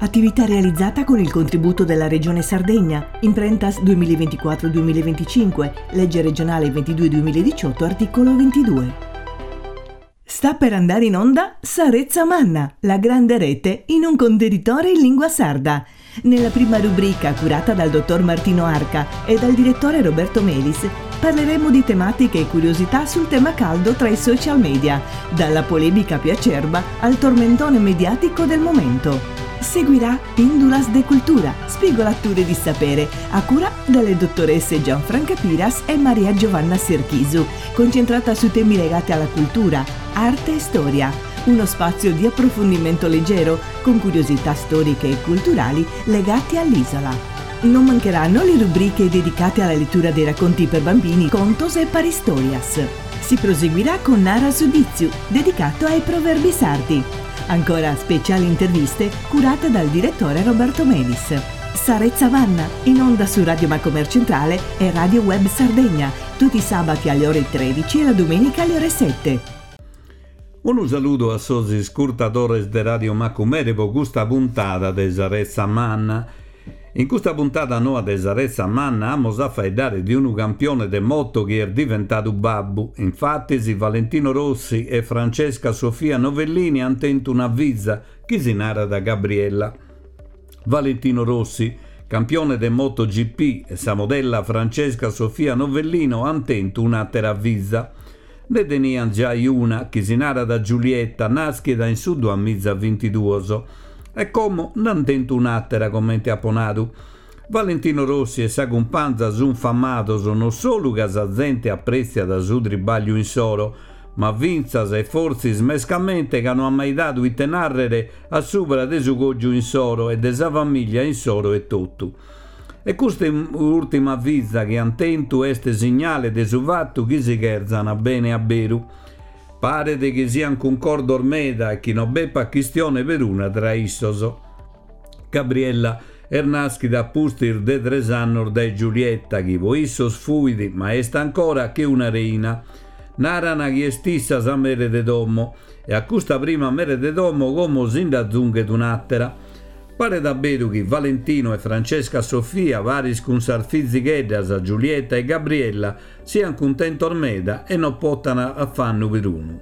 Attività realizzata con il contributo della Regione Sardegna, Imprentas 2024-2025, legge regionale 22-2018, articolo 22. Sta per andare in onda Sa Retza Manna, la grande rete in un contenitore in lingua sarda. Nella prima rubrica, curata dal dottor Martino Arca e dal direttore Roberto Melis, parleremo di tematiche e curiosità sul tema caldo tra i social media, dalla polemica più acerba al tormentone mediatico del momento. Seguirà Pindulas de Cultura, spigolature di sapere, a cura delle dottoresse Gianfranca Piras e Maria Giovanna Serchisu, concentrata su temi legati alla cultura, arte e storia. Uno spazio di approfondimento leggero, con curiosità storiche e culturali legate all'isola. Non mancheranno le rubriche dedicate alla lettura dei racconti per bambini, contos e paristorias. Si proseguirà con Nara su Ditzu, dedicato ai proverbi sardi. Ancora speciali interviste curate dal direttore Roberto Melis. Sa Retza Manna, in onda su Radio Macomer Centrale e Radio Web Sardegna, tutti i sabati alle ore 13 e la domenica alle ore 7. Unu saludu a sos iscurtadores de Radio Macumere po custa puntada de Sa Retza Manna. In custa puntada noa de Sa Retza Manna amus a faeddare de unu campione de moto chi est diventadu babbu. Infatis Valentino Rossi e Francesca Sofia Novellini ant tentu una fiza chi si narat Gabriella. Valentino Rossi, campione de MotoGP, e sa modella Francesca Sofia Novellino ant tentu un'àtera fiza. Nde teniant giai una, chi si narat Giulietta, nàschida in su duamiza bintiduos. E como nd'ant tentu un'àtera, comente apo nadu. Valentino Rossi e sa cumpanza sunt famados non solu ca sa zente aprètziat su tribàgliu insoro, ma fintzas e fortzis mescamente ca no ant mai dadu ite nàrrere a subra de su cògiu insoro e de sa famìllia insoro etotu. E custa ùrtima fiza chi ant tentu est signale de su fatu chi si cherzant bene a beru. Paret chi siant cuncordos meda e chi no b'epat chistione peruna tra issos. Gabriella est nàschida a pustis de tres annos dae Giulietta chi po issos fuit, ma est ancora, che una reina. Naran chi est issa sa mere de domo e a custa prima mere de domo como si nd'azunghet un'àtera. Paret a beru chi Valentino e Francesca Sofia, paris cun sas fizigheddas Giulietta e Gabriella, siant cuntentos meda e no potan afannu perunu.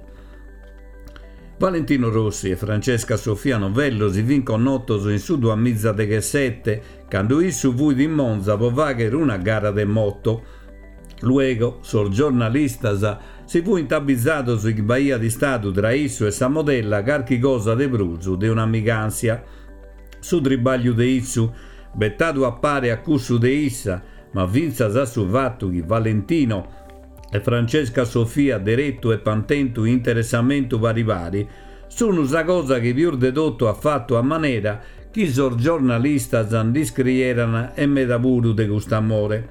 Valentino Rossi e Francesca Sofia Novello si fin connotos in su duamizadeghesete, cando issu fuit in Monza po fagher una gara de moto. Luego sos giornalistas si fuint abizados chi b'aiat istadu tra issu e sa modella carchi cosa de prus de un'amigàntzia. Su tribagliu de issu, betadu a pare a cussu de issa, ma fintzas a su fatu chi Valentino e Francesca Sofia deretu epant tentu interessamentu pari pari, sunu sa cosa chi pius de totu at fatu a manera chi sos giornalistas nd'iscrieran e meda puru de cust'amore.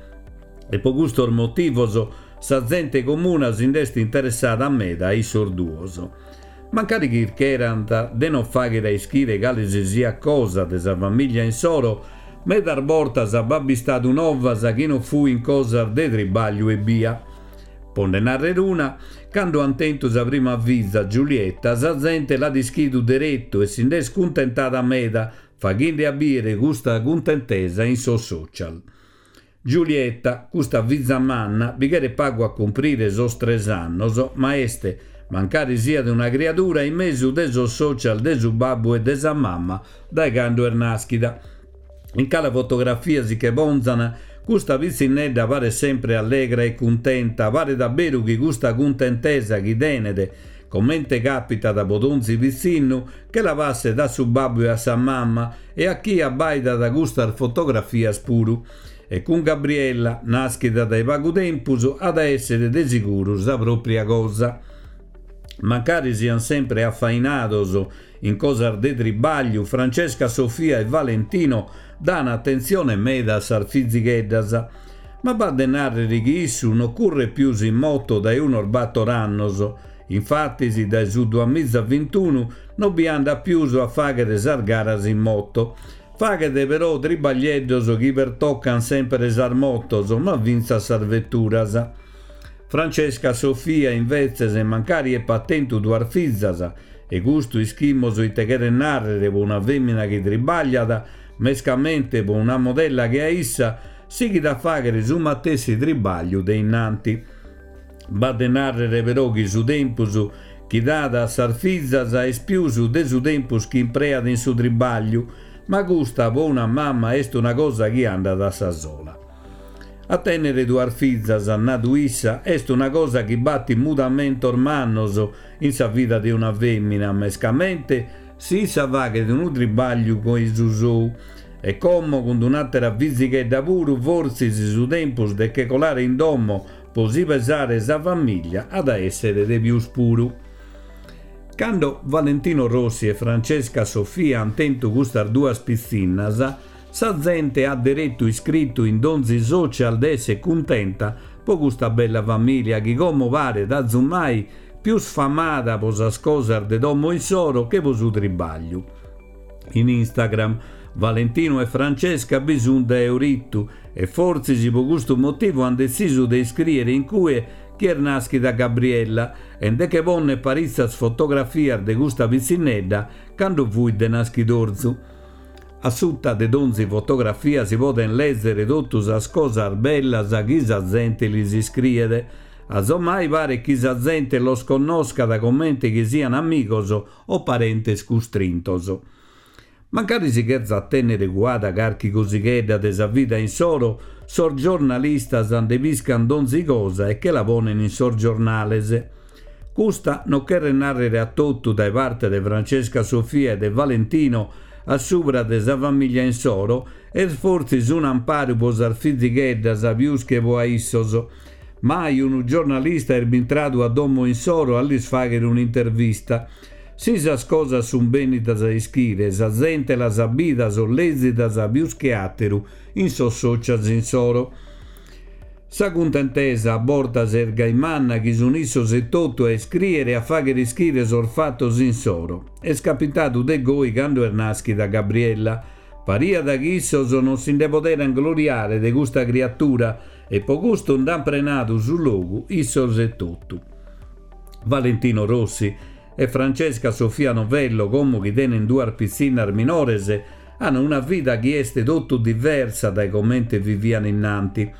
E po custos motivos sa zente comuna si nd'est interessada meda a issos duos. Mancari chircherant de non fàghere a ischire cale si siat cosa de sa famìllia insoro, medas bortas b'at bistadu novas chi non fuint cosas de tribàgliu ebbia. Po nde nàrrere una, cando ant tentu sa prima fiza, Giulietta, sa zente l'at ischidu deretu e si nd'est cuntentada meda, faghende a bìere custa cuntentesa in sos social. Giulietta, custa fiza manna, bi cheret pagu a cumprire sos tres annos, ma est, mancari siat una criadura, in mesu de sos social de su babbu e de sa mama dae cando est naschida. In cale fotografia si che ponzan, custa pitzinnedda paret sempre allegra e cuntenta, paret a beru chi custa cuntentesa chi tenet, comente capitat po donzi pitzinnu, che la passet a su babbu e a sa mama e a chie abbaidat custas fotografias puru. E cun Gabriella, naschida dae pagu tempus, at a èssere de siguru sa pròpria cosa. Mancari siant sempre afainados in cosas de tribàgliu, Francesca Sofia e Valentino dan atentzione meda a sas fizigheddas. Ma b'at de nàrrere chi issu no curret pius in moto dae unos bator annos, Infatis dae su duamizavintunu no bi andat pius a fàghere sas garas in moto. Faghet però tribaglieddos chi pertocan sempre sas motos, ma fintzas sas veturas. Francesca Sofia invetzes, mancari epat tentu duas fizas. E custu ischimos ite cheret nàrrere po una fèmina chi tribagliat, mescamente po una modella che a issa, sighit a fàghere su matessi tribagliu de innanti. B'at de nàrrere però chi su tempus chi dat a sas fizas est pius de su tempus chi impreat in su tribagliu, ma custa po una mama est una cosa chi andat a sa sola. A tènnere duas fizas, at nadu issa, est una cosa chi batit mudamentos mannos in sa vida de una fèmina, mescamente si issa faghet unu tribagliu che su sou. E como cun un'àtera fizighedda puru fortzis su tempus de che colare in domo po si pesare sa famiglia at a èssere de pius puru. Cando Valentino Rossi e Francesca Sofia ant tentu custas duas pitzinnas, Sa zente at deretu iscritu in donzi social de esser cuntenta po custa bella familia chi como paret azumai pius famada po sas cosas de domo issoro che po su tribagliu. In Instagram Valentino e Francesca bi sunt dae orittu e fortzis po custu motivu ant detzisu de iscriere in cue chi est naschida Gabriella e nde che ponner paritzas fotografias de custa pitzinnedda cando fuit de naschidorzu. A suta de donzi fotografia si poden lèzere totu sas cosas bellas chi sa zente lis iscriet. Azomai paret chi sa zente los connoscat comente chi sian amigos o parentes custrintos. Mancari si cherzat tènnere cuada carchi cosighedda de sa vida insoro, sos giornalistas nde piscan donzi cosa e che la ponen in sos giornales. Custa no cheret nàrrere a totu dae parte de Francesca Sofia e de Valentino a subra de sa famìllia insoro, est fortzis un'amparu po sas fizigheddas pius che po a issos. Mai unu giornalista est bintradu a domo insoro a lis fàghere un'intervista. Si sas cosas sunt bènnidas a ischire, sa zente las at bidas o lèzidas pius che àteru in sos socials insoro. Sa cuntentesa a bortas est gai manna chi sun issos etotu a iscrìere e a fàghere ischire sos fatos insoro. Est capitadu de goi cando est nàschida Gabriella. Pariat chi issos non si nde poderant gloriare de custa criatura e po custu nd'ant prenadu su logu issos etotu. Valentino Rossi e Francesca Sofia Novello, como chi tenent duas pitzinnas minores, An una vida chi est totu diversa dae comente vivian innanti.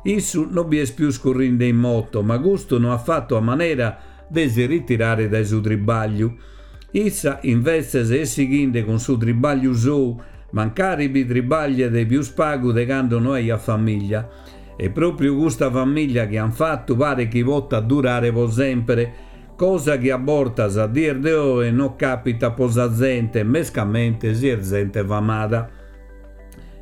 Issu no bi est pius currinde in moto, ma custu no at fatu a manera de si ritirare dae su tribagliu. Issa, invetzes, est sighinde cun su tribagliu sou, mancari bi tribagliet pius pagu de cando no aiat famiglia. E propriu custa famiglia chi an fatu paret chi potat durare po sempere, Cosa chi a bortas a dies de oe no capitat po sa zente, mescamente si est zente famada.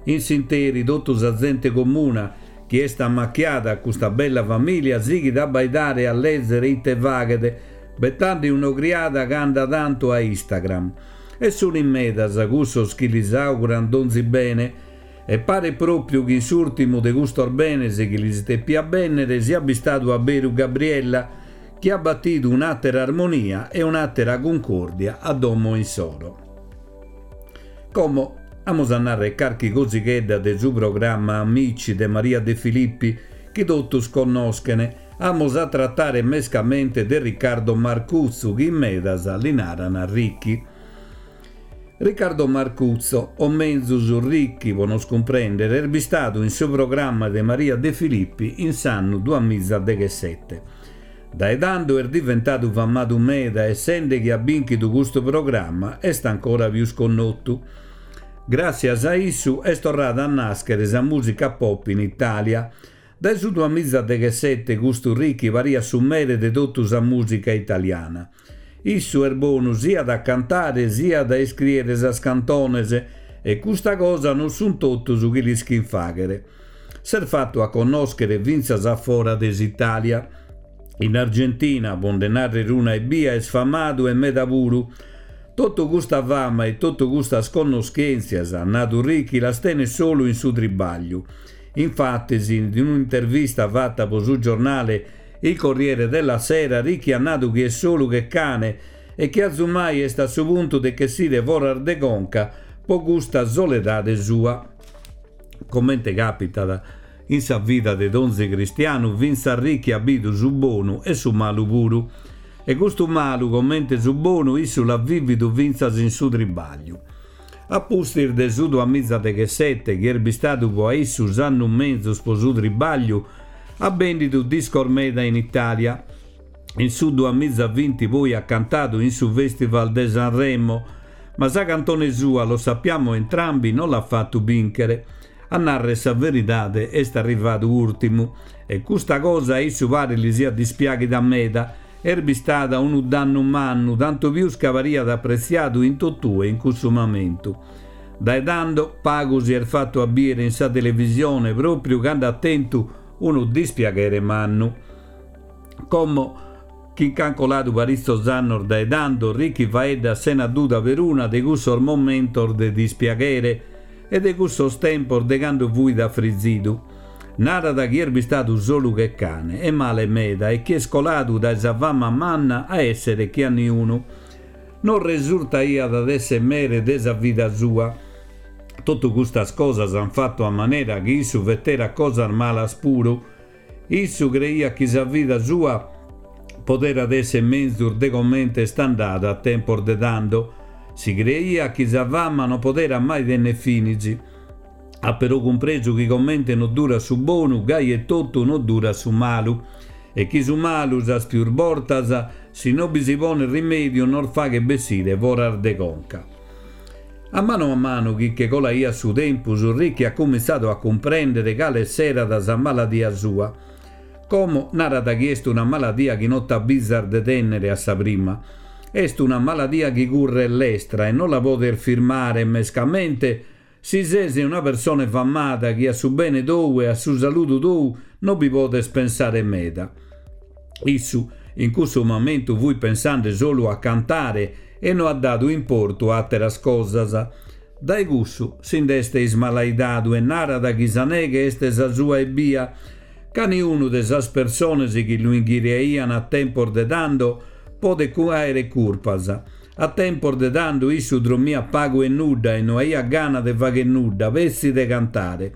In s'interi totu sa zente comuna chi est ammachiada a custa bella familia sighit a abbaidare e a lezere ite faghet, betande un'ogriada cand'a tantu a Instagram. E sun in medas cussos chi lis auguran donzi bene. E paret propriu chi in s'urtimu de custos benes chi lis depiat bennere siat bistadu a beru Gabriella, chi at batidu un'àtera armonia e un'àtera cuncòrdia a domo insoro. Como amus a nàrrere carchi cosighedda de su programma Amici de Maria De Filippi, chi totus connoschen, amus a tratare mescamente de Riccardo Marcuzzu, chi in medas li naran Ricky. Riccardo Marcuzzo, o menzus Ricky po nos cumprèndere, est bistadu in su programma de Maria De Filippi in s'annu duamizadeghessete. Dae tando est diventadu famadu meda e sende chi at bìnchidu custu programma est ancora pius connotu. Gràssias a issu est torrada a nàschere sa mùsica pop in Itàlia. Dae su duamizadeghessete custu Ricky pariat su mere de totu sa mùsica italiana. Issu est bonu siat a cantare siat a iscrìere sas cantones e custa cosa non sunt totus chi l'ischint fàghere. S'est fatu a connòschere fintzas a fora de s'Itàlia. In Argentina, po nde nàrrere una ebbia, est famadu e meda puru. Totu custa fama e totu custas connoschèntzias, at nadu Ricky, las tenet solu in su tribàgliu. Infatis, in un'intervista fata po su giornale Il Corriere della Sera, Ricky at nadu chi est solu che cane e chi azumai est a su puntu de ch'essire foras de conca po custa soledade sua. Comente capitat in sa vida de donzi cristianu, fintzas Ricky at bidu su bonu e su malu puru. E custu malu, comente su bonu, issu l'at vìvidu fintzas in su tribagliu. A pustis de su duamizadeghesete, chi est bistadu po a issu s'annu menzus po su tribagliu, at bendidu discos meda in Italia. In su duamizavinti poi at cantadu in su Festival de Sanremo, ma sa cantone sua Lo sappiamo entrambi no l'at fatu bìnchere. A narrer sa veridade est arrivadu ùrtimu e custa cosa a issu paret li siat dispiàghida meda, est bistada unu dannu mannu, tantu pius ca pariat apretziadu in totue in cussu mamentu. Dae tando pagu si est fatu a bìere in sa televisione pròpriu ca nd'at tentu unu dispiaghere mannu. Como chi nch'ant coladu paritzos annos dae tando, Ricky faeddat sena duda peruna de cussos momentos de dispiaghere e de cussos tempos de cando fuit afrizidu. Narat chi est bistadu solu che cane e male meda e chi est coladu dae sa fama manna a èssere che a niunu. No resurtaiat de èssere mere de sa vida sua. Totu custas cosas ant fatu a manera chi issu feterat cosas malas puru. Issu creiat chi sa vida sua poderat èssere menzus de comente est andada a tempos de tando. Si creiat chi sa fama non poderat mai tenner finis. At però cumpresu chi comente no durat su bonu, gai etotu no durat su malu. E chi su malu, sas pius bortas, si no bi si ponet rimèdiu nos faghet bessire foras de conca. A manu a manu chi che colaiat su tempus, Ricky at cumintzadu a cumprèndere cale esserat sa maladia sua. Como narat chi est una maladia chi no t'abizas de tènnere a sa prima. Est una maladia chi curret lestra e no la podes firmare, mescamente si ses una persone famada chi a su bene tou e a su saludu tou no bi podes pensare meda. Issu in cussu mamentu fuit pensande solu a cantare e no at dadu importu a àteras cosas. Dae cussu si nd'est ismalaidadu e narat chi sa neghe est sa sua ebbia, ca niunu de sas persones chi lu inghiriaian a tempos de tando podet àere curpas. A tempos de tando issu drommiat pagu e nudda e no aiat gana de fagher nudda, petzi de cantare.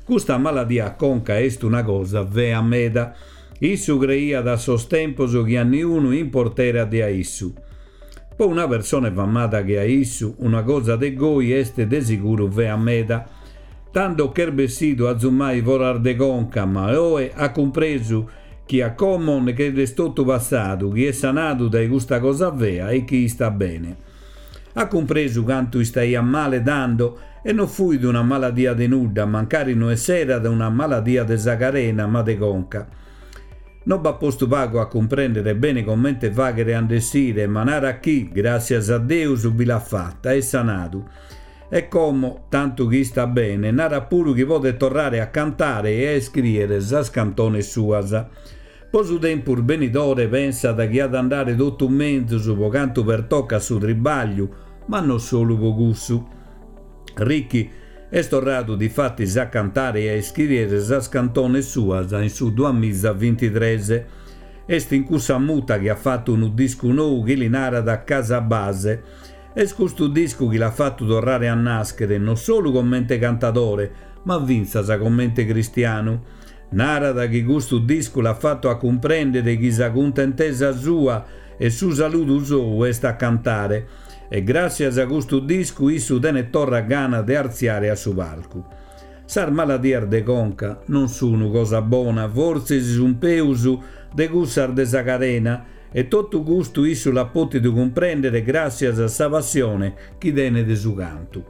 Custa maladia a conca est una cosa fea meda. Issu creiat a sos tempos chi a niunu importerat de a issu. Po una persone famada che a issu, una cosa de goi est de siguru fea meda. Tando ch'est bessidu azumai foras de conca, ma oe at cumpresu chi a como che l'est totu passadu, chi est sanadu dae custa cosa fea e chi istat bene. At cumpresu cantu istaiat male tando e no fuit una maladia de nudda, mancari no esserat una maladia de sa carena ma de conca. No b'at postu pagu a cumprèndere bene comente fàghere a nd'essire, ma narat chi, gràssias a Deus, bi l'at fata, est sanadu. E como, tantu chi istat bene, narat puru chi podet torrare a cantare e a iscrìere sas cantones suas. Po su tempus benidore pensat chi at a andare totu menzus po cantu pertocat su tribagliu, ma no solu po cussu. Ricky est torradu difatis a cantare e a iscrìere sas cantones suas in su duamizavintitres. Est in cussa muta chi at fatu unu discu nou chi li narat Casa Base. Est custu discu chi l'at fatu torrare a nàschere no solu comente cantadore, ma fintzas comente cristianu. Narat chi custu discu l'at fatu a cumprèndere chi sa cuntentesa sua e su saludu sou est a cantare e gràssias a custu discu issu tenet torra gana de artziare a su palcu. Sas maladias de conca non sunu cosa bona, fortzis sun peus de cussas de sa carena e totu custu issu l'at pòtidu cumprèndere gràssias a sa passione chi tenet de su cantu.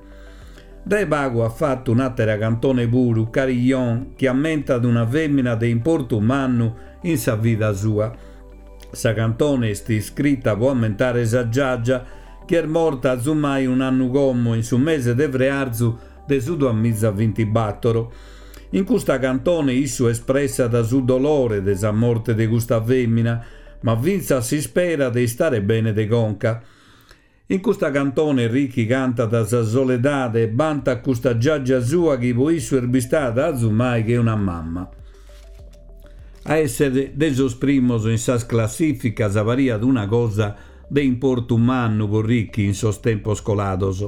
Dae pagu at fatu un'àtera cantone puru, Carillon, chi ammentat una fèmina de importu mannu in sa vida sua. Sa cantone est iscrita po ammentare sa giagia, chi est morta azumai un'annu como, in su mese de frearzu de su duamizavintibatoro. In custa cantone issu espressat su dolore de sa morte de custa fèmina, ma fintzas s'ispera de istare bene de conca. In custa cantone Ricky cantat sa soledade e bantat custa giagia sua chi po issu est bistada azumai che una mamma. A èssere de sos primos in sas classìficas pariat una cosa de importu mannu po Ricky in sos tempos colados.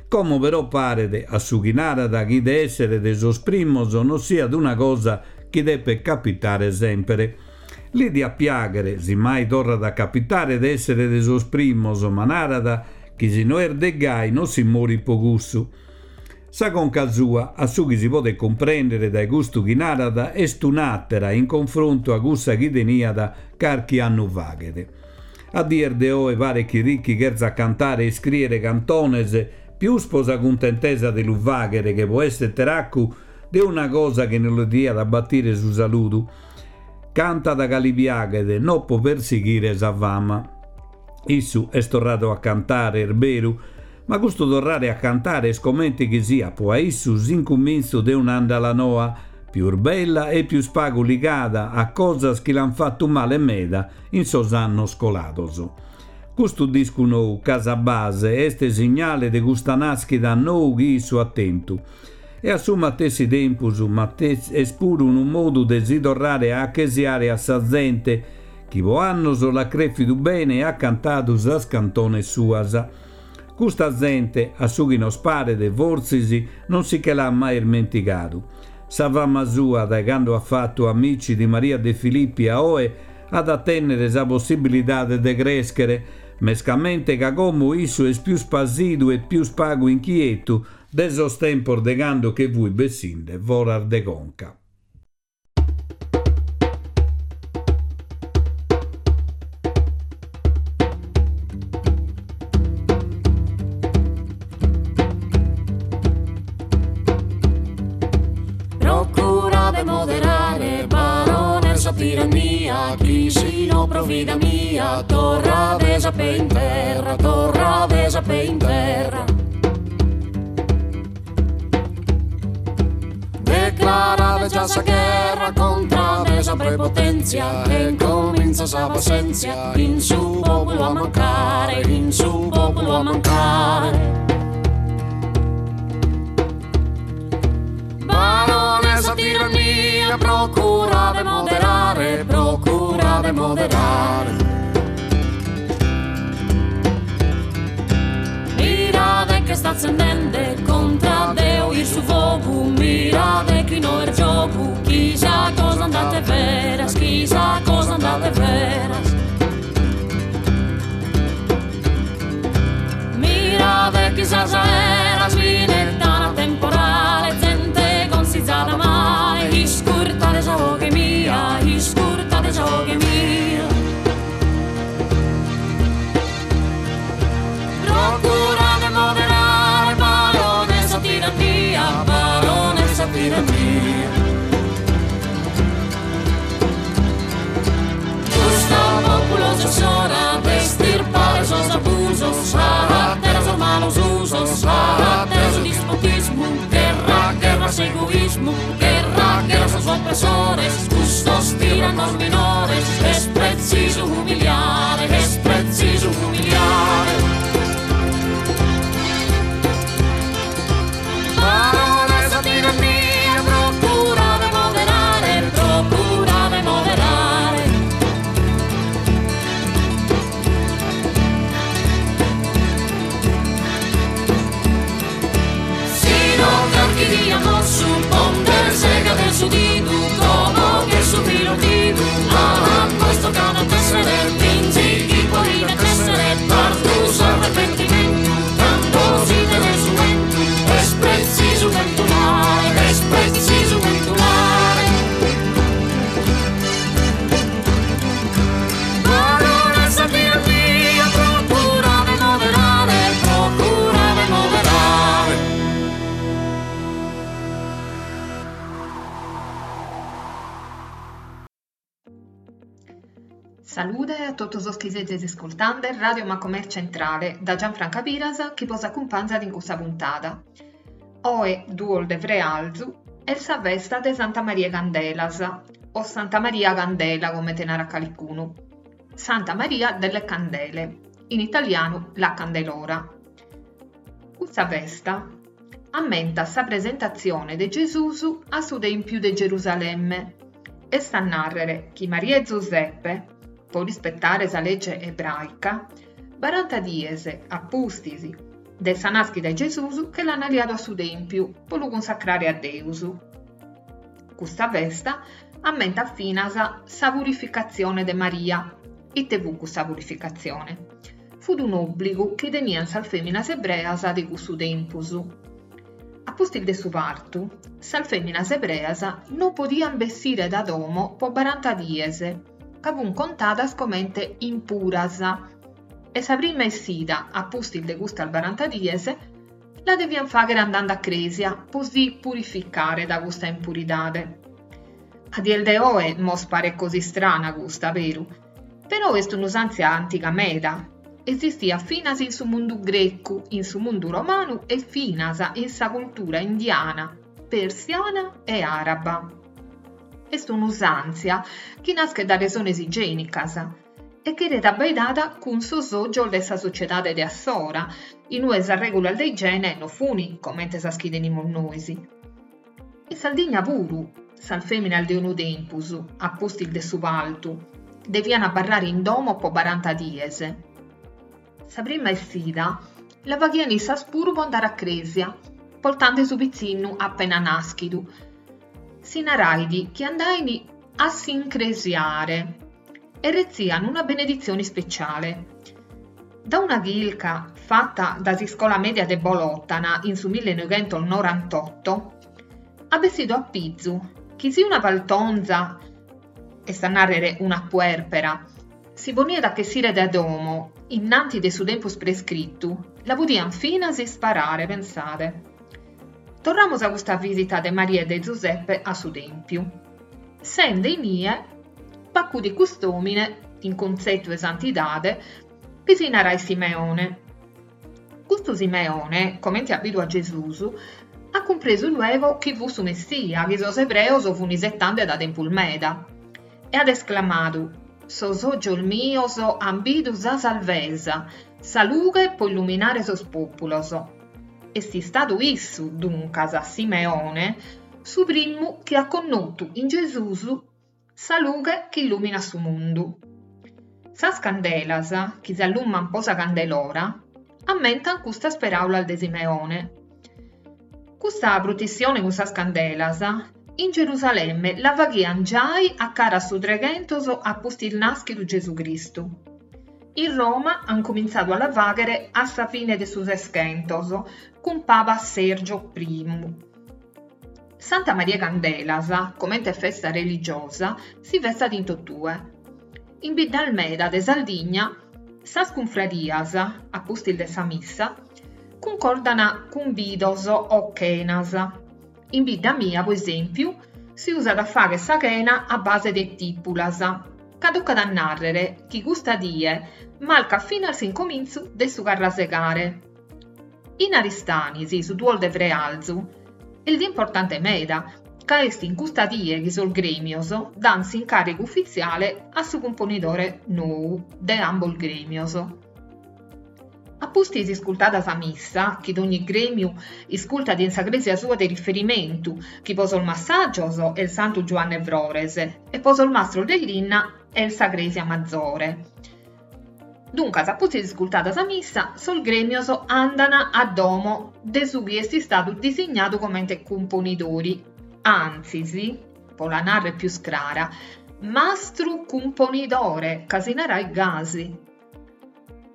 Como però paret, a su chi narat, chi de èssere de sos primos no siat una cosa chi depet capitare sèmpere. Li diat piàghere, si mai torrat a capitare, de èssere de sos primos, ma narat chi si no est de gai non si morit po cussu. Sa conca sua, a su chi si podet cumprèndere dae custu chi narat, est un'àtera in confrontu a cussa chi teniat carchi annu faghet. A dies de oe paret chi Ricchi cherzat cantare e iscrìere cantones pius po sa cuntentesa de lu fàghere che po èssere teraccu de una cosa chi non li diat batire su saludu. Cantat ca li piaghet, no po persighire sa fama. Issu est torradu a cantare, est beru, ma custu torrare a cantare est comente chi siat po a issu s'incumintzu de un'àndala noa, pius bella e pius pagu ligada a cosas chi l'ant fatu male meda in sos annos colados. Custu discu nou, Casa Base, est signale de custa nàschida a nou chi issu at tentu. E a su matessi tempus est puru unu modu de si torrare a achesiare a sa zente chi po annos l'at crèfidu bene e at cantadu sas cantones suas. Custa zente, a su chi nos paret, fortzis non si che l'at mai ismentigadu. Sa fama sua, dae cando at fatu Amici di Maria De Filippi a oe, at a tènnere sa possibilidade de crèschere, mescamente ca como issu est pius pasidu e pius pagu inchietu de sos tempos de cando che fuit bessinde foras de conca. Procura de moderare, barone, sa tirannia, chi si no pro vida mia, torrades a pe in terra, torrades a pe in terra. Declarade già sa gherra contra de sa prepotenzia e incominza sa passenzia in su populu a mancare, in su populu a mancare. Barone sa tirannia procura de moderare, procura de moderare. Mirade ch'est atzendende contra Deu in su fogu, mirade chi no est giogu, chi sa cosa andat de veras, chi sa cosa andat de veras. Mirade chi sas aeras minettan temporale, zente consizada male, iscurtade sa 'oghe mia, iscurtade sa 'oghe mia. Procura de moderare, barone sa tirannia, barone sa tirannia. Custu populu est s'ora de estirpare sos abusos, a terra sos malos usos, a terra su dispotismu, gherra, gherra a s'egoismu, gherra, gherra a sos opressores, custos tiranos minores, est pretzisu umiliare, est pretzisu umiliare. Barone sa tirannia, procura de moderare, procura de moderare. Si no carchi die mossu po nde segare su didu, como ch'est su filu ordidu, a nois tocat a tessere, finzi chi podiat essere tardu s'arrepentimentu, cando s'idet su 'entu, est pretzisu bentulare, est pretzisu bentulare. Barone sa tirannia, procura de moderare, procura de moderare. Salude a totu sos chi sezis iscultande Radio Macomer Centrale da Gianfranca Piras chi bos acumpanzat in custa puntada. Oe, duos de frealzu, est sa festa de Santa Maria 'e Candelas, o Santa Maria Candela comente narat calicunu, Santa Maria delle Candele, in italianu La Candelora. Custa festa ammentat sa presentatzione de Gesùs a su Tèmpiu de Gerusalemme, est a nàrrere chi Maria e Zuseppe, pro rispetare sa lege ebràica, baranta dies a pustis de sa nàschida 'e Gesùs che l'ant leadu a su Tèmpiu pro lu cunsacrare a Deus. Custa festa. Ammentat finas sa purificatzione de Maria. Ite fut custa purificatzione? Fut un'òbligu chi teniant sas fèminas ebreas de cussu tempus. A pustis de su partu, sas fèminas ebreas non podiant bessire da domo po baranta dies, ca funt contadas comente impuras, e sa prima essida a pustis de custas baranta dies la deviant fàghere andende a crèsia po si purificare da custa impuridade. A dies de oe mos paret cosa istrana custa, beru? Però est un'usàntzia antiga meda, esistiat finas in su mundu grecu, in su mundu romanu e finas in sa cultura indiana, persiana e àraba. Est un'usàntzia chi naschet da resones igiènicas e cheret abbaidada cun sos ògios de sa sociedade de assora, in ue sas règulas de igiene no funi comente sas chi tenimus nois. In Sardigna puru, sas fèminas de unu tempus, a pustis de su partu, deviant abarrare in domo po baranta dies. Sa prima essida la faghiant issas puru po andare a crèsia, portende su pitzinnu apena nàschidu. Si narait chi andain a s'incresiare e retzian una beneditzione ispeciale. Da una chirca fata da s'iscola mèdia de Bolòtana in su millenoighentos-norantotto, at bessidu a pizu chi si una partonza, est a nàrrere una puèrpera, si poniat a chessire dae domo innanti de su tempus prescritu, la podiant finas isparare, pensade. Torramus a custa visita de Maria e de Zuseppe a su Tèmpiu. Sende inie, b'acudit cust'òmine, in cuntzetu 'e santidade, chi si narait Simeone. Custu Simeone, comente at bidu a Gesùs, at cumpresu luego chi fut su Messia chi sos ebreos fun isetende da tempus meda. E at esclamadu, Sos ògios mios an bidu sa salvesa, sa lughe po illuminare sos pòpulos. Est istadu issu, duncas, Simeone, su primu chi at connotu in Gesùs sa lughe chi illuminat su mundu. Sas candelas, chi s'alluman po sa Candelora, ammentan custas peraulas de Simeone. Custa prutissione cun sas candelas, in Gerusalemme la faghian giai a cara a su treghentos a pustis nàschidu Gesù Cristu. In Roma an cumintzadu a la fàghere a sa fine de su Seschentos, cun Paba Sergio I. Santa Maria 'e Candelas, comente festa religiosa, si festat in totue. In biddas meda de Sardigna sas cunfradias, a pustis de sa missa, cuncordan cumbidos o chenas. In bidda mia, po esèmpiu, si usat a fàghere sa chena a base de tìpulas, ca tocat a nàrrere chi custa die marcat finas s'incomintzu de su carrasegare. In Aristanis su duos de frealzu est die importante meda, ca est in custa die chi sos grèmios dant s'incàrrigu ufitziale a su cumponidore nou de ambos grèmios. A pustis iscultada sa missa, chi dogni grèmiu iscultat in sa crèsia sua de riferimentu, chi po sos massajos est Santu Giuanne Frores e po sos mastros de linna est sa crèsia mazore. Duncas, a pustis iscultada sa missa, sos grèmios andant a domo de su chi est istadu disignadu comente cumponidori, antzis, po la nàrrere pius crara, mastru cumponidore, ca si narait gasi.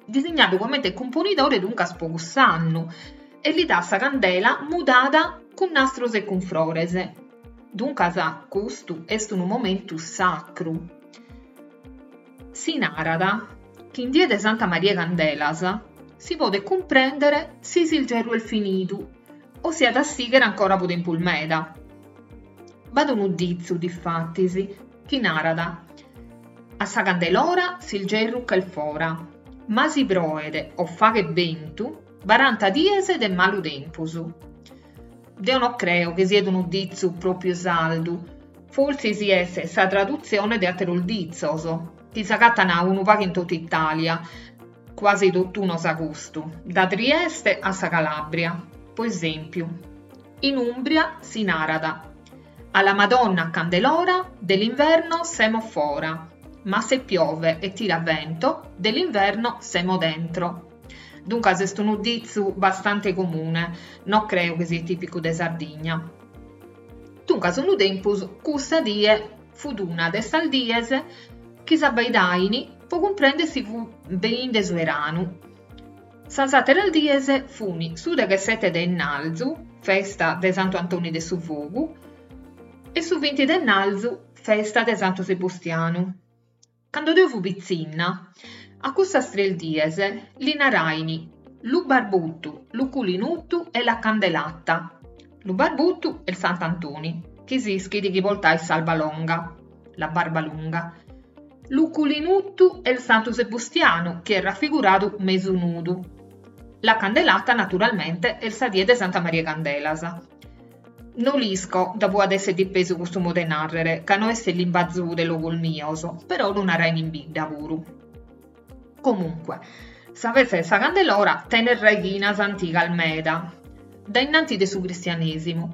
Disignadu comente cumponidore duncas po cuss'annu, e li dat sa candela mudada cun nastros e cun frores. Duncas custu est unu momentu sacru. Si narat chi in die de Santa Maria 'e Candelas si podet cumprèndere si s'ilgerru est finidu o si at a sìghere ancora po tempus meda. B'at unu ditzu, difatis, chi narat, A sa Candelora s'ilgerru ch'est fora, ma si proet o faghet bentu, baranta dies de malu tempus. Deo no creo chi siet unu ditzu pròpiu sardu, Fortzis est sa tradutzione de àteros ditzos, chi s'agatan unu pagu in totu Itàlia, cuasi totunos a custu, da Trieste a sa Calàbria. Po esèmpiu, in Ùmbria si narat A la Madonna a Candelora dell'inverno semo fora, ma se piove e tira vento dell'inverno semo dentro. Duncas est unu ditzu bastante comune, no creo chi siet tìpicu de Sardigna. Duncas unu tempus cussa die. Fut una de sas dies chi s'abbaidain po cumprender si fut beninde su 'eranu. Sas àteras dies fun su deghessete de 'ennalzu, festa de Santu Antoni de su Fogu, e su vinti de 'ennalzu, festa de Santu Sebustianu. Cando deo fui pitzinna, a custas tres dies li narain lu barbutu, lu culinutu e la candelata. Lu barbutu est Sant'Antoni, chi s'ischit chi portait s'alba longa, la barba lunga. Lu culinutu est Santu Sebustianu, chi est rafiguradu mesu nudu. La candelata, naturalmente, est sa die de Santa Maria 'e Candelas. No l'isco da ue at esser dipesu custu modu 'e nàrrere, ca no est limbazu de logos mios, però lu narain in bidda puru. Comunque, sa festa de sa Candelora tenet raighinas antigas meda, dae innanti de su cristianèsimu.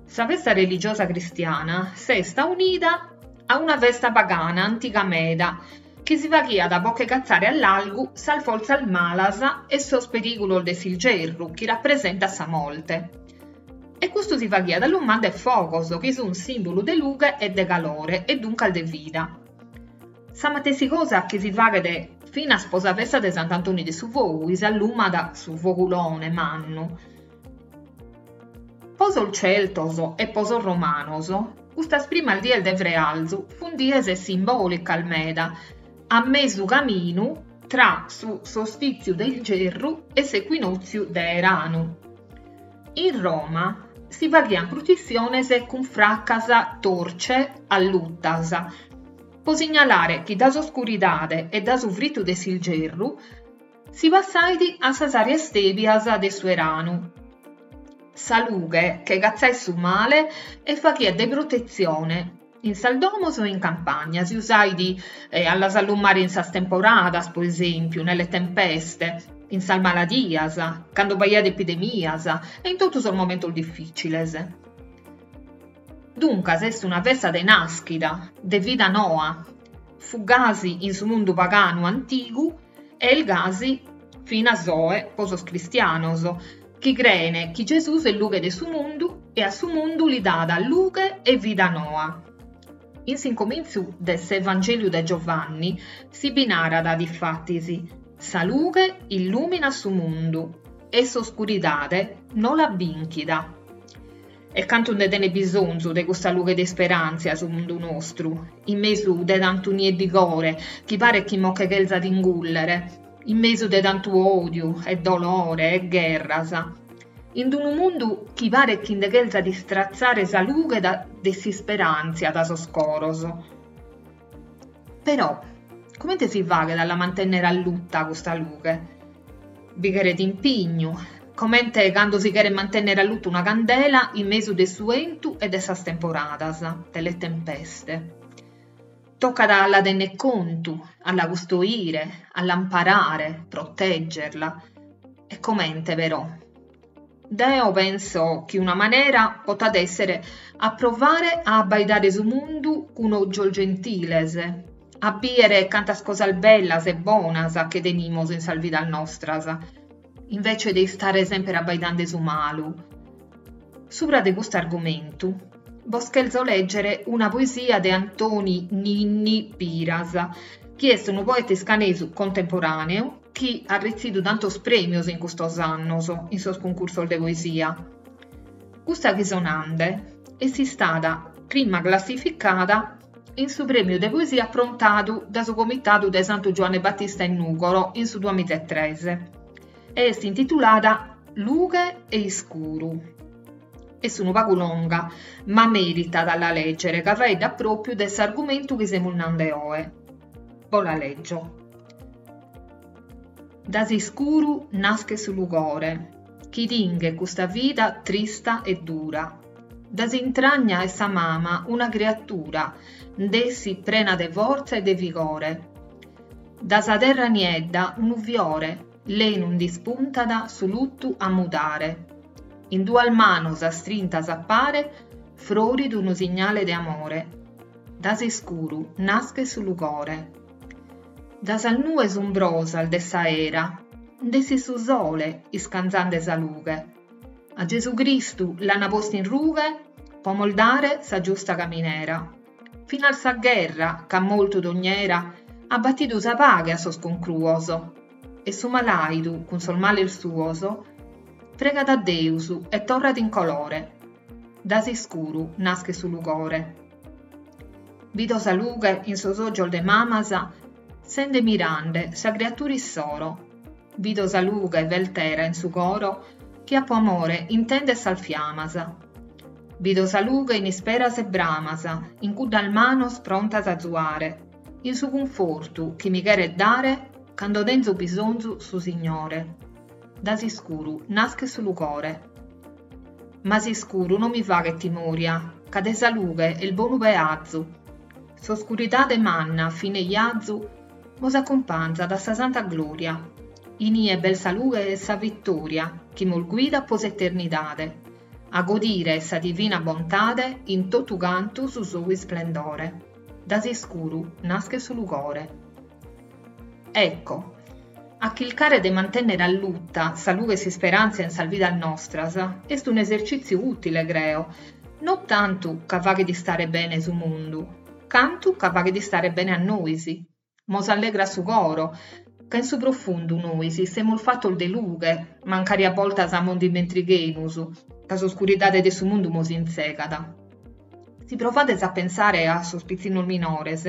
Sa festa religiosa cristiana s'est aunida a una festa pagana antiga meda, chi si faghiat po che catzare a largu sas fortzas malas e sos perìgulos de s'ilgerru chi rapresentat sa morte. E custu si faghiat allumande fogos chi sunt sìmbulu de lughe e de calore e duncas de vida. Sa matessi cosa chi si faghet finas po sa festa de Sant'Antoni de su Fogu chi s'allumat su fogulone mannu. Po sos Celtos e po sos Romanos custas primas dies de frealzu funt dies simbòlicas meda, a mesu caminu tra su solstìtziu de ilgerru e s'ecuinòtziu de 'eranu. In Roma si faghiant prutzissiones cun fracas torce allutas po signalare chi da s'oscuridade e da su fritu de s'ilgerru si passait a sas àrias tèbias de su 'eranu. Sa lughe che catzait su male e faghiat de protetzione in sas domos e in campagna, si usait a las allumare in sas temporadas, pro esèmpiu, nelle tempeste, in sas maladias, cando b'aiat epidemias e in totu sos momentos difìtziles. Duncas est una festa de nàschida, de vida noa. Fut gasi in su mundu paganu antigu e est gasi finas oe pro sos cristianos, chi creen chi Gesùs est lughe de su mundu e a su mundu li dat lughe e vida noa. In s'incomintzu de s'Evangèliu de Giovanni si bi narat, difatis, Sa lughe illùminat su mundu e s'oscuridade no l'at bìnchida. E cantu nde tenet bisonzu de custa lughe de isperàntzia su mundu nostru, in mesu de tantu nieddigore chi paret chi mo che chelzat ingùllere, in mesu de tantu òdiu e dolore e gherras, in unu mundu chi paret chi nde chelzat istratzare sa lughe de s'isperàntzia da sos coros. Però, comente si faghet a la mantènnere alluta custa lughe? Bi cheret impignu, comente cando si cheret mantènnere alluta una candela in mesu de su 'entu e de sas temporadas, delle tempeste. Tocat a la tenner contu, a la custoire, a l'amparare, proteggerla. E comente però? Deo penso chi una manera potat èssere a provare a abbaidare su mundu cun ògios gentiles, a bìdere cantas cosas bellas e bonas che tenimos in sas vidas nostras, invece de istare semper abbaidende su malu. Subra de custu argumentu bos chelzo lègere una poesia de Antoni Ninni Piras, chi est unu poeta iscanesu contemporàneu chi at retzidu tantos prèmios in custos annos in sos cuncursos de poesia. Custa chi so nande est istada prima classificada in su prèmiu de poesia aprontadu da su Comitadu de Santu Giuanne Batista in Nùgoro in su duamizaetres e est intitulada Lughe e iscuru. Est unu pagu longa, ma meritat a la lègere ca faeddat pròpiu de s'argumentu chi semus nande oe. Bo la lègio. Da s'iscuru naschet su lugore, chi tinghet custa vida trista e dura. Da s'intragna 'e sa mama una criatura nd'essit prena de fortza e de vigore. Da sa terra niedda unu fiore lenu nd'ispuntat su lutu a mudare. In duas manos astrintas a pare frorit unu signale de amore. Da s'iscuru naschet su lugore. Da sas nues umbrosas de s'aera nd'essit su sole iscanzande sa lughe. A Gesù Cristu l'ana postu in rughe po mos dare sa giusta caminera. Finas sa gherra, ch'at mortu dogn'era, at batidu sa paghe a sos concruos. E su malàidu, cun sos males suos, pregat a Deus e torrat in colore. Da s'iscuru naschet su lugore. Bido sa lughe in sos ògios de mamas sende mirande sa criatura issoro. Bido sa lughe veltera in su coro chi apo amore intendet sas fiamas. Bido sa lughe in isperas e bramas, in cuddas manos prontas a azuare, in su cunfortu chi mi cheret dare cando tenzo bisonzu su Signore. Da s'iscuru naschet su lugore. Ma s'iscuru non mi faghet timòria, ca de sa lughe est bonu peazu. S'oscuridade manna fine 'iazu Mos acumpanzat a sa santa gloria. Inie b'est sa lughe 'e sa vittoria chi mos guidat po s'eternidade, a godire 'e sa divina bontade in totu cantu su sou isplendore. Da s'iscuru naschet su lugore. Ecco, a chircare de mantènnere alluta sa lughe 'e s'isperàntzia in sas vidas nostras est un'esercìtziu ùtile, creo, no tantu ca faghet istare bene su mundu, cantu ca faghet istare bene a nois. Mos allegrat su coro, ca in su profundu nois semus fatos de lughe, mancari a boltas mos nd'ismentrighemus, ca s'oscuridade de su mundu mos intzegat. Si provades a pensare a sos pitzinnos minores,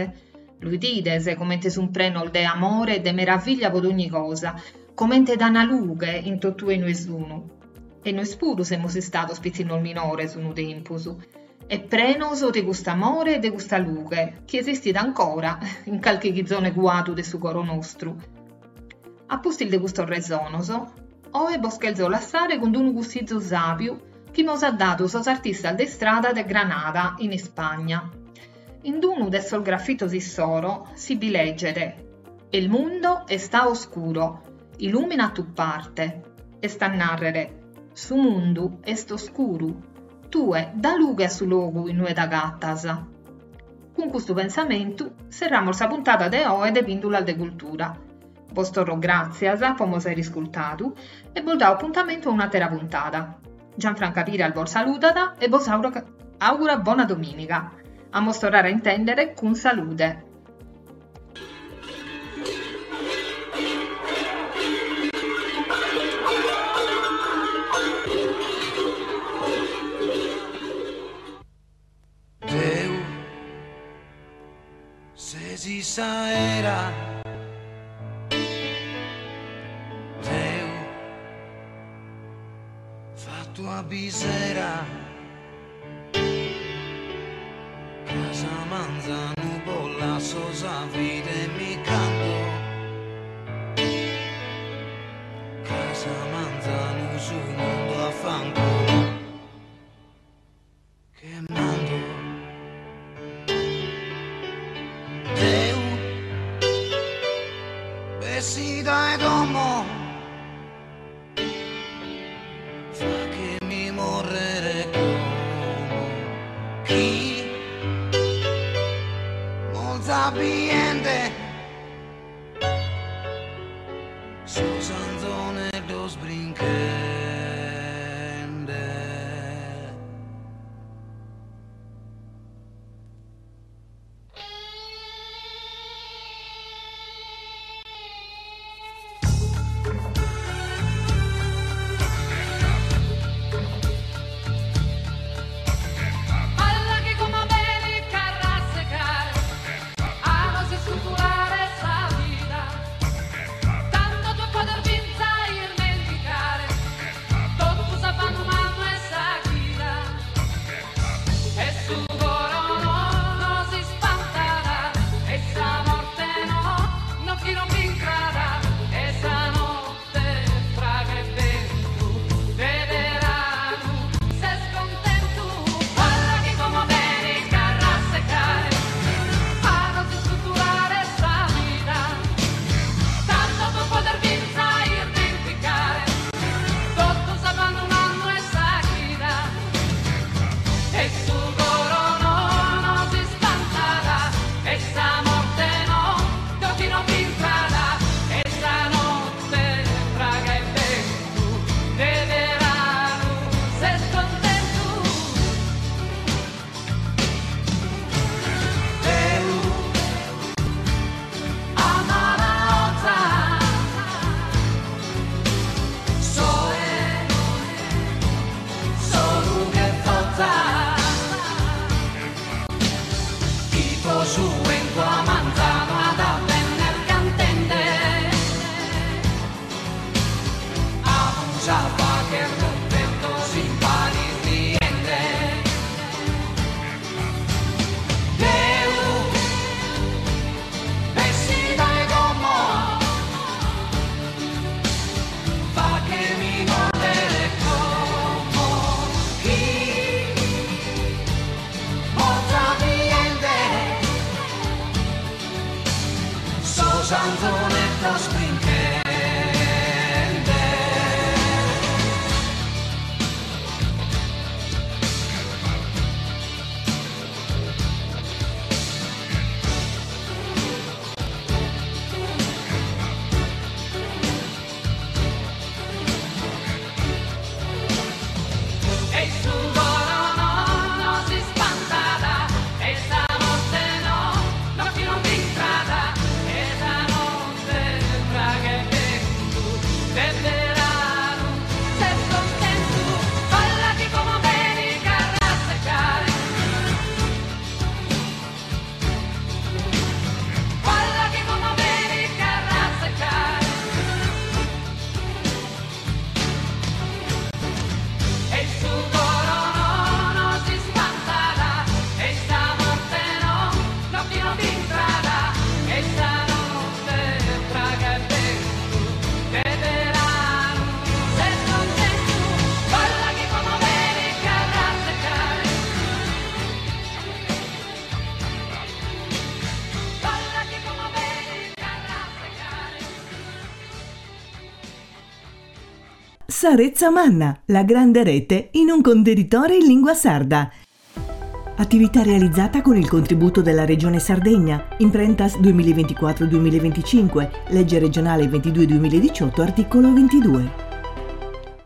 lu 'idides comente sun prenos de amore e de meraviglia pro dogni cosa, comente dan lughe in totue inue sun. E nois puru semus istados pitzinnos minores unu tempus, e prenos de cust'amore e de custa lughe chi esistit ancora in calchi chizone cuadu de su coro nostru. A pustis de custos resonos, oe bos chelzo lassare cun unu cussizu sàbiu chi mos at dadu sos artistas de istrada de Granada, in Ispagna. In unu de sos grafitos issoro si bi leget, El mundo está oscuro, illumina tu parte, est a nàrrere, su mundu est oscuru, Tue da lughe a su logu inue t'agatas. Cun custu pensamentu serramus sa puntada de oe de Pìndulas de Cultura. Bos torro gràtzias po mos àere iscurtadu e bos dao apuntamentu a un'àtera puntada. Gianfranca Piras bos saludat e bos augurat bona domìniga. A mos torrare a intèndere cun salude. Deu ses s'aera Deu fattu a bisera Cras a manzanu bos lasso sa vida e mi ch'ando Cras a manzanu su mundu a fanculu che mando Deu bessi dae domo Fachemi morrere como chi molza biende sos anzoneddos brinchende. anzoneddos brinchende. E su coro no no s'ispantat e sa morte no no chi non b'intrat e sa notte praghet bentu de beranu ses contentu balla chi como benit carrasecare balla chi como benit carrasecare E su coro no no s'ispantat e sa morte no no chi non b'intrat e sa notte praghet bentu de beranu ses contentu balla chi como benit carrasecare balla chi como benit carrasecare. Sa Retza Manna, la grande rete in un contenitore in lingua sarda. Attività realizzata con il contributo della Regione Sardegna, Imprentas 2024-2025, legge regionale 22-2018, articolo 22.